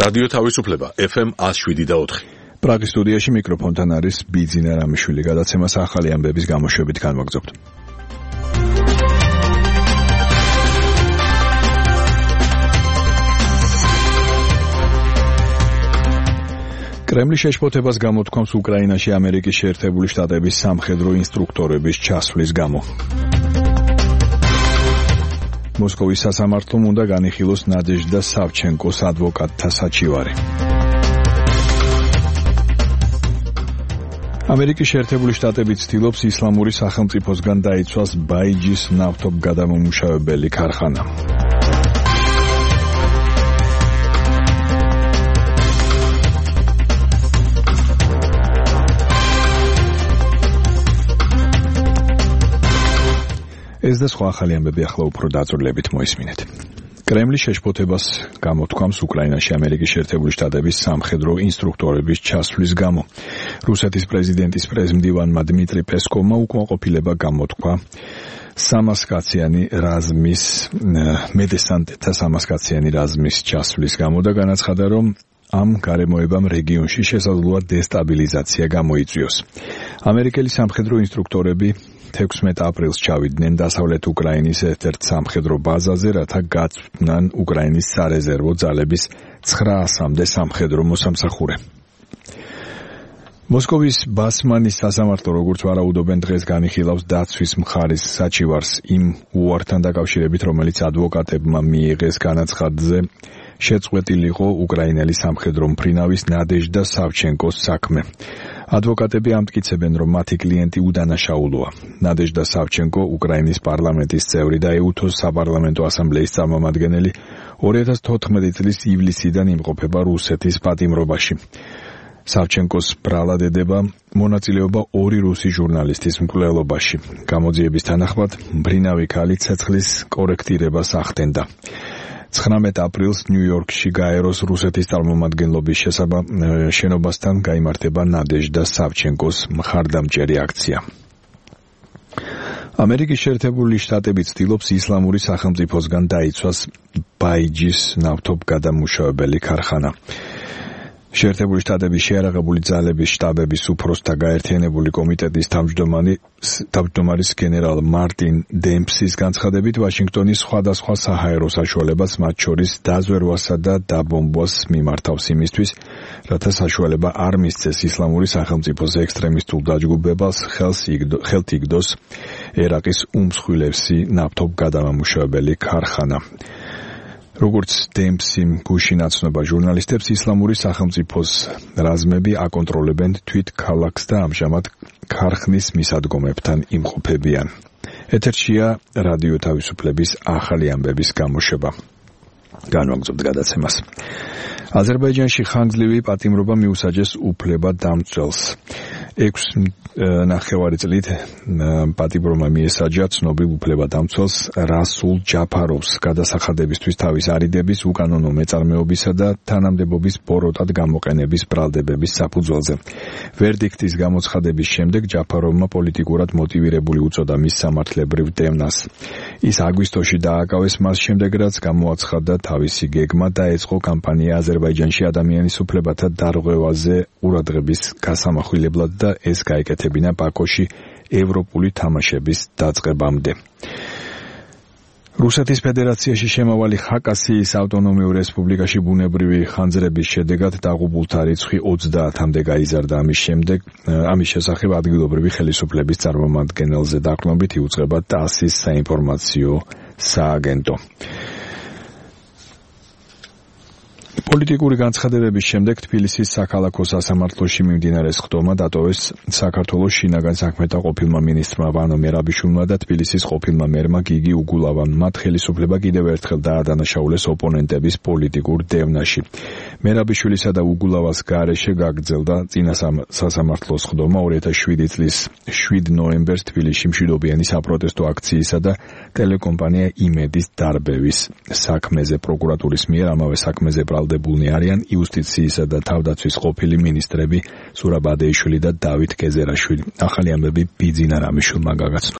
რადიო თავისუფლება FM 107.4. პრაღის სტუდიაში მიკროფონთან არის ბიძინა რამიშვილი. გადაცემას ახალი ამბების გამოშვებით განვაგრძობთ. კრემლის შეშფოთებას გამოთქვამს უკრაინაში ამერიკის შეერთებული შტატების სამხედრო ინსტრუქტორების ჩასვლის გამო. მოსკოვის სასამართლომ უნდა განიხილოს ნადეჟდა სავჩენკოს ადვოკატთა საჩივარი. ამერიკის შეერთებული შტატები ცდილობს ისლამური სახელმწიფოსგან დაიცვას ბაიჯის ნავთობგადამამუშავებელი ქარხანა. ეს და სხვა ახალი ამბები ახლა უფრო დაწვრილებით მოისმინეთ. კრემლის შეშფოთებას გამოთქვამს უკრაინაში ამერიკის შეერთებული შტატების სამხედრო ინსტრუქტორების ჩასვლის გამო. რუსეთის პრეზიდენტის პრეზმდივანმა დმიტრი პესკოვმა უკმაყოფილება გამოთქვა სამასკაციანი რაზმის მედესანტთა სამასკაციანი რაზმის ჩასვლის გამო და განაცხადა, რომ ამ გარემოებამ რეგიონში შესაძლოა დესტაბილიზაცია გამოიწვიოს. ამერიკელი სამხედრო ინსტრუქტორები 16 აპრილს ჩავიდნენ დასავლეთ უკრაინის ერთ-ერთ სამხედრო ბაზაზე, რათა გაწვნან უკრაინის სარეზერვო ძალების 900-მდე სამხედრო მოსამსახურე. მოსკოვის ბასმანის სასამართლო, როგორც ვარაუდობენ, დღეს განიხილავს დაცვის მხარის საჩივარს იმ უართან დაკავშირებით, რომელიც ადვოკატებმა მიიღეს განაცხადზე შეწყვეტილიყო უკრაინელი სამხედრო მფრინავის ნადეჟდა სავჩენკოს საქმე. ადვოკატები ამტკიცებენ, რომ მათი კლიენტი უდანაშაულოა. ნადეჟდა სავჩენკო უკრაინის პარლამენტის წევრი და ეუთოს საპარლამენტო ასამბლეის წარმომადგენელი 2014 წლის ივლისიდან იმყოფება რუსეთის პატიმრობაში. სავჩენკოს ბრალადედება მონაწილეობა 2 რუსი ჟურნალისტის მკვლელობაში. გამოძიების თანახმად მფრინავი ქალი ცეცხლის კორექტირებას ახდენდა. 19 აპრილს ნიუ-იორკში გაეროს რუსეთის წარმომადგენლობის შენობასთან გაიმართება ნადეჟდა სავჩენკოს მხარდამჭერი აქცია. ამერიკის შეერთებული შტატები ცდილობს ისლამური სახელმწიფოსგან დაიცვას ბაიჯის ნავთობგადამუშავებელი ქარხანა. შეერთებული შტატების შეიარაღებული ძალების შტაბების უფროსთა გაერთიანებული კომიტეტის თავმჯდომარის გენერალ მარტინ დემპსის განცხადებით, ვაშინგტონი სხვადასხვა საჰაერო საშუალებას, მათ შორის დაზვერვასა და დაბომბვას მიმართავს იმისთვის, რათა საშუალება არ მისცეს ისლამური სახელმწიფოს ექსტრემისტულ დაჯგუფებას ხელთ იგდოს ერაყის უმსხვილესი ნავთობგადამამუშავებელი ქარხანა. როგორც დემპსი გუშინ აცნობა ჟურნალისტებს, ისლამური სახელმწიფოს რაზმები აკონტროლებენ თვით ქალაქს და ამჟამად ქარხნის მისადგომებთან იმყოფებიან. ეთერშია რადიო თავისუფლების ახალი ამბების გამოშვება. განვაგრძობთ გადაცემას. აზერბაიჯანში ხანგრძლივი პატიმრობა მიუსაჯეს უფლებადამცველს. 6.5 წლით პატიმრობა მიესაჯა ცნობილ უფლებადამცველს რასულ ჯაფაროვს გადასახადებისთვის თავის არიდების, უკანონო მეწარმეობისა და თანამდებობის ბოროტად გამოყენების ბრალდებების საფუძველზე. ვერდიქტის გამოცხადების შემდეგ ჯაფაროვმა პოლიტიკურად მოტივირებული უწოდა მის სამართლებრივ დევნას. ის აგვისტოში დააკავეს მას შემდეგ, რაც გამოაცხადა თავისი გეგმა დაეწყო კამპანია აზერბაიჯანში ადამიანის უფლებათა დარღვევაზე ყურადღების გასამახვილებლად და ეს გაეკეთებინა ბაქოში ევროპული თამაშების დაწყებამდე. რუსეთის ფედერაციაში შემავალი ხაკასიის ავტონომიურ რესპუბლიკაში ბუნებრივი ხანძრების შედეგად დაღუპულთა რიცხვი 30-მდე გაიზარდა. ამის შესახებ ადგილობრივი ხელისუფლების წარმომადგენელზე დაყრდნობით იუწყება TASS-ის საინფორმაციო სააგენტო. პოლიტიკური განცხადებების შემდეგ თბილისის საქალაქო სასამართლოში მიმდინარე სხდომა დატოვეს საქართველოს შინაგან საქმეთა ყოფილმა მინისტრმა ვანო მერაბიშვილმა და თბილისის ყოფილმა მერმა გიგი უგულავამ. მათ ხელისუფლება კიდევ ერთხელ დაადანაშაულეს ოპონენტების პოლიტიკურ დევნაში. მერაბიშვილისა და უგულავას გარეშე გაგრძელდა წინა სასამართლო სხდომა 2007 წლის 7 ნოემბერს თბილისში მშვიდობიანი საპროტესტო აქციისა და ტელეკომპანია იმედის დარბევის საქმეზე. პროკურატურის მიერ ამავე საქმეზე ბრალდებულნი არიან იუსტიციისა და თავდაცვის ყოფილი მინისტრები სურაბ ადეიშვილი და დავით გეზერაშვილი. ახალი ამბები ბიძინა რამიშვილმა გაგაცნო.